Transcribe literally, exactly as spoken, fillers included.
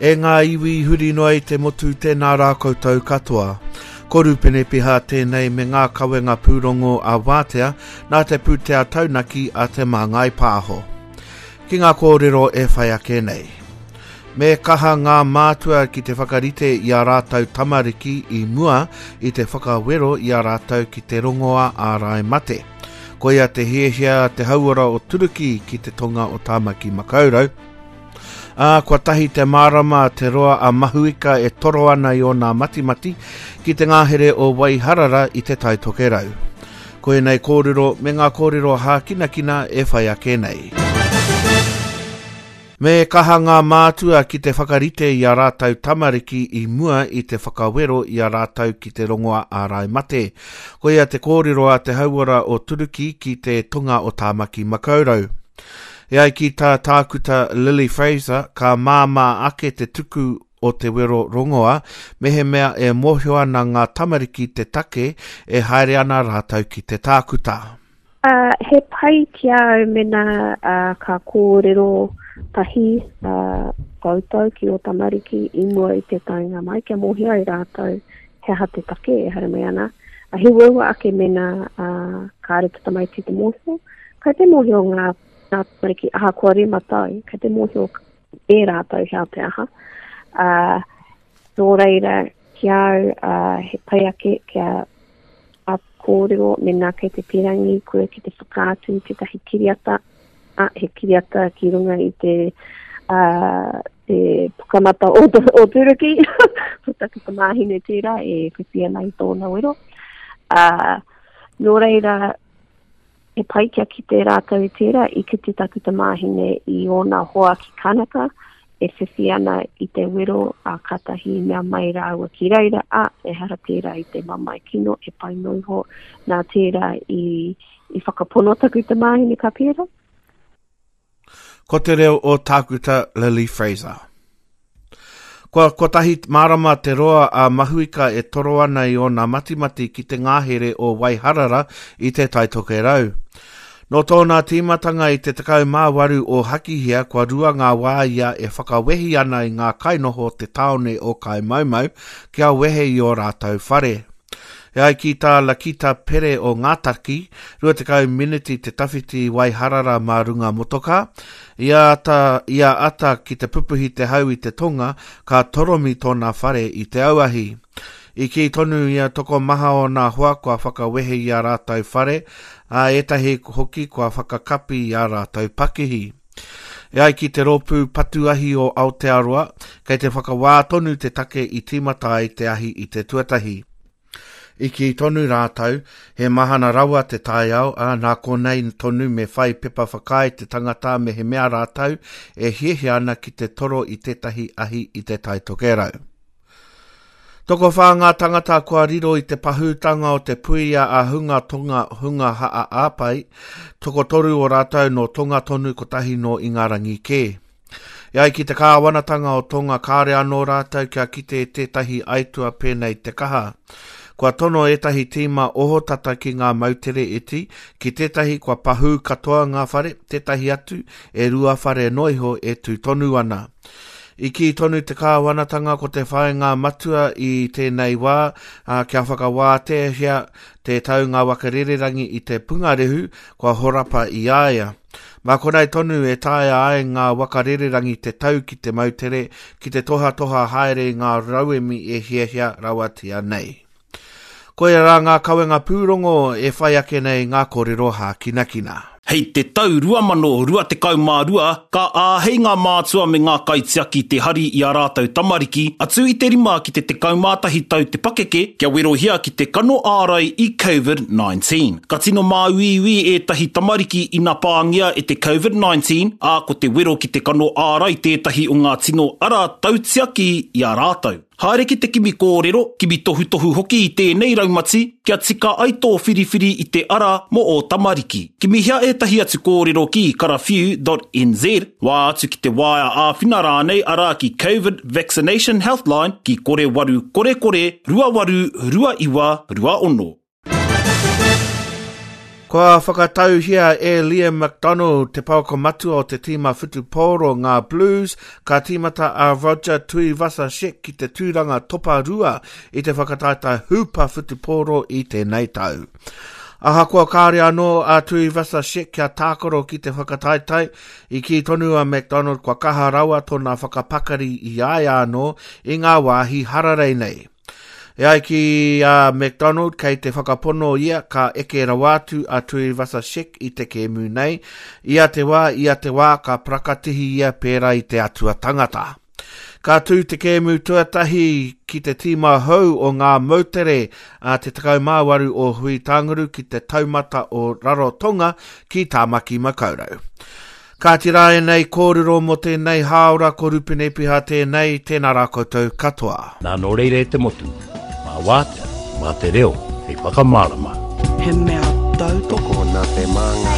E ngā iwi huri noa i te motu tēnā rā koutou katoa. Ko Rupene Piha tēnei me ngā kawenga pūrongo a Wātea nā te pūtea taunaki a Te Māngai Pāho. Ki ngā kōrero e whai ake nei. Me kaha ngā mātua ki te whakarite i a rātou tamariki i mua i te whakawero i a rātou ki te rongoa ārai mate. Koia te hiahia te hauora o Turuki ki te tonga o Tāmaki Makaurau. Ā, kua tahi te marama te roa a Mahuika e toro ana i ōna matimati ki te ngahere o Waiharara i te Tai Tokerau. Koinei kōrero me ngā kōrero hākinakina e whai ake nei. Me kaha ngā mātua ki te whakarite i a rātou tamariki i mua i te whakawero i a rātou ki te rongoa ārai mate. Koia te kōrero a te hauora o Turuki ki te tonga o Tāmaki Makaurau. E ai ki tā tākuta Lily Fraser, ka māmā ake te tuku o te wero rongoa, mehemea e mōhio ana ngā tamariki te take e haere ana rātou ki te tākuta. Uh, he pai ki a au mena uh, ka kōrero tahi uh, koutou ki o tamariki i mua i te taenga mai, kia mōhio ai rātou he aha te take e haere mai ana. Uh, he uaua ake mena uh, kāre te tamaiti te mōhio. Kai te mōhio ngā, ngā tamariki ahakoa rima tau, kai te mōhio e rātou he aha te aha. Uh, nō reira, ki au, uh, he pai ake kia a kōrero mena kei te pirangi koe ki te whakaatu i tētahi kiriata, a, he kiriata ki runga i te, uh, te pukamata o, o Turuki, ko taku tamāhine tērā e whiwhi ana i tōna wero. Uh, nō reira, he pai kia kite rātou i tērā, i kite taku tamāhine i ōna hoa ki Kanaka, e whiwhi ana i te wero, a katahi mea mai rāua ki reira, a, ehara tērā i te mamae kino, e pai noa iho, nā tērā i, i whakapono taku tamāhine ka pērā. Ko te reo o tākuta Lily Fraser. Kua kotahi marama te roa a Mahuika e toro ana i ōna matimati ki te ngahere o Waiharara i te Tai Tokerau. Nō tōna tīmatanga i te tekau mā waru o Hakihea, kua rua ngā wā ia e whakawehi ana i ngā kainoho o te tāone o Kaimaumau kia wehe i ō rātou whare. E ai ki tā Lakita Pere o Ngātaki, rua tekau miniti te tawhiti i Waiharara mā runga motoka. Ia ata, ia ata ki te pupuhi te hau i te tonga, ka toromi tōna whare i te auahi. I kī tonu ia tokomaha o nā hoa kua whakawehe i a rātou whare, a ētahi hoki kua whakakapi i a rātou pakihi. E ai ki te rōpū patuahi o Aotearoa, kei te whakawā tonu te take i tīmata ai te ahi i te tuatahi. I kī tonu rātou, he mahana rawa te taiao, ā, nā konei tonu me whai pepa whakaae te tangata me he mea rātou e hiahia ana ki te toro i tētahi ahi i te Tai Tokerau. Tokowhā ngā tangata kua riro i te pahūtanga o te puia a hunga tonga hunga haa āpai, tokotoru o rātou nō Tonga tonu kotahi nō Ingarangi kē. E ai ki te kāwanatanga o Tonga kāre anō rātou kia kite tētahi aitua pēnei te kaha. Kua tono ētahi tīma ohotata ki ngā moutere iti, ki tētahi kua pahū katoa ngā whare, tētahi atu e rua whare noa iho e tū tonu ana. I kī tonu te kāwanatanga ko te whāinga matua i tēnei wā, ā, kia whakawāteahia te taunga waka rererangi i te pungarehu kua horapa i a ia. Mā konei tonu e taea ai ngā waka rererangi te tau ki te moutere, ki te tohatoha haere i ngā rauemi e hiahia rawatia nei. Koia rā ngā kawenga pūrongo e whai ake nei ngā kōrero hākinakina. Hei te tau rua mano rua tekau mā rua, ka āhei ngā mātua me ngā kaitiaki te hari i a rātou tamariki, atu i te rima ki te tekau mā tahi tau te pakeke, kia werohia ki te kano ārai i COVID nineteen. Ka tino māuiui ētahi tamariki ina pāngia e te COVID nineteen, ā, ko te wero ki te kano ārai tētahi o ngā tino ara tautiaki i a rātou. Haere ki te kimi kōrero, kimi tohutohu hoki i tēnei raumati, kia tika ai tō whiriwhiri i te ara mō ō tamariki. Kimihia ētahi atu kōrero ki karawhiu dot N Z, wā atu ki te waea āwhina rānei arā ki COVID Vaccination Healthline ki kore waru kore kore rua waru rua iwa rua ono. Kua whakatauhia e Liam McDonald te pouako matua o te tīma whutupōro ngā Blues, ka tīmata a Roger Tuivasa-Sheck ki te tūranga topa rua i te whakataetae hūpa whutupōro i tēnei tau. Ahakoa kāre anō a Tuivasa-Sheck kia tākaro ki te whakataetae, i kī tonu a McDonald kua kaha rawa tōna whakapakari i a ia anō i ngā wāhi hararei nei. E ai ki a McDonald, kei te whakapono ia ka eke rawa atu a Tuivasa-Sheck i te kēmu nei. Ia te wā, ia te wā, ka parakatihi ia pērā i te atua tangata. Ka tū te kēmu tuatahi ki te tīma hou o ngā moutere a te tekau mā waru o Hui-Tānguru ki te taumata o Rarotonga ki Tāmaki Makaurau. Kāti rā ēnei kōrero mō tēnei hāora, ko Rupene Piha tēnei, tēnā rā koutou katoa. Nā nō reira e te motu, mā wātea, mā te reo, hei whakamārama. He mea tautoko Tokona te māngai.